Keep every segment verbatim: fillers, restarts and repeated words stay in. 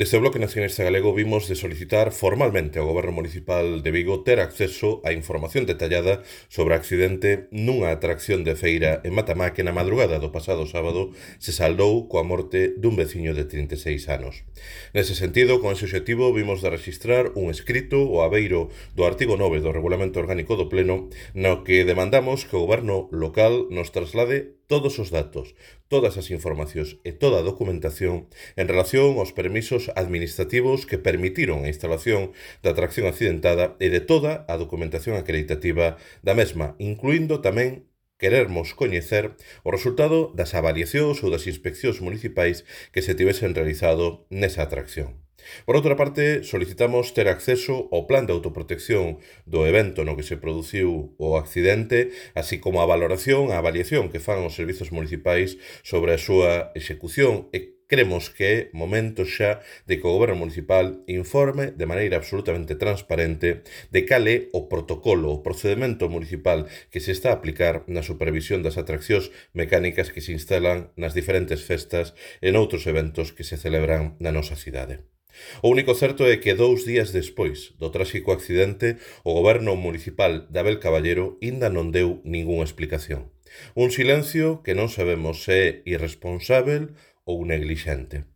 Desde o Bloque Nacionalista Galego vimos de solicitar formalmente ao Goberno Municipal de Vigo ter acceso á información detallada sobre o accidente nunha atracción de feira en Matamá que na madrugada do pasado sábado se saldou coa morte dun veciño de trinta e seis anos. Nese sentido, con ese obxectivo, vimos de registrar un escrito ao abeiro do artigo nove do Regulamento Orgánico do Pleno no que demandamos que o Goberno local nos traslade todos os datos, todas as informacións e toda a documentación en relación aos permisos administrativos que permitiron a instalación da atracción accidentada e de toda a documentación acreditativa da mesma, incluindo tamén querermos coñecer o resultado das avaliacións ou das inspeccións municipais que se tivesen realizado nesa atracción. Por outra parte, solicitamos ter acceso ao plan de autoprotección do evento no que se produciu o accidente, así como a valoración, a avaliación que fan os servizos municipais sobre a súa execución e cremos que é momento xa de que o Goberno Municipal informe de maneira absolutamente transparente de cal é o protocolo, o procedimento municipal que se está a aplicar na supervisión das atraccións mecánicas que se instalan nas diferentes festas e noutros eventos que se celebran na nosa cidade. O único certo é que dous días despois do tráxico accidente, o Goberno Municipal de Abel Caballero aínda non deu ningunha explicación. Un silencio que non sabemos se é irresponsável ou neglixente.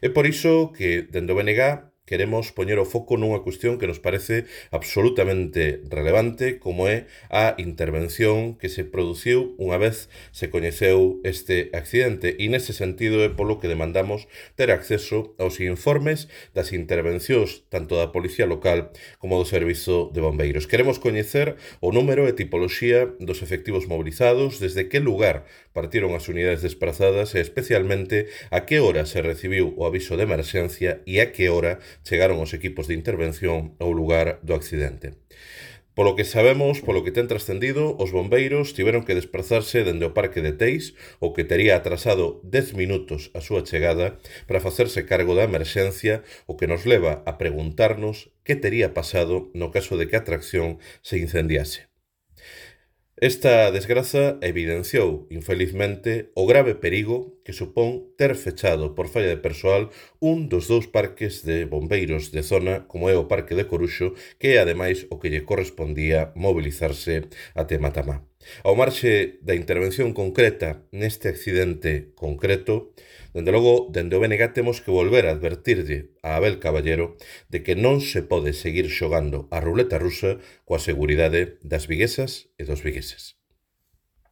É por iso que, dende o B N G, queremos poñer o foco nunha cuestión que nos parece absolutamente relevante, como é a intervención que se produciu unha vez se coñeceu este accidente, e nese sentido é polo que demandamos ter acceso aos informes das intervencións tanto da Policía Local como do Servizo de Bombeiros. Queremos coñecer o número e tipoloxía dos efectivos mobilizados, desde que lugar partiron as unidades desprazadas e especialmente a que hora se recibiu o aviso de emerxencia e a que hora chegaron os equipos de intervención ao lugar do accidente. Polo que sabemos, polo que ten trascendido, os bombeiros tiveron que desplazarse dende o Parque de Teis, o que tería atrasado dez minutos a súa chegada, para facerse cargo da emerxencia, o que nos leva a preguntarnos que tería pasado no caso de que a atracción se incendiase. Esta desgraza evidenciou, infelizmente, o grave perigo que supón ter fechado por falla de persoal un dos dous parques de bombeiros de zona, como é o Parque de Coruxo, que é ademais o que lle correspondía mobilizarse até Matamá. Ao marxe da intervención concreta neste accidente concreto, dende logo, dende o B N G temos que volver a advertirlle a Abel Caballero de que non se pode seguir xogando a ruleta rusa coa seguridade das viguesas e dos vigueses.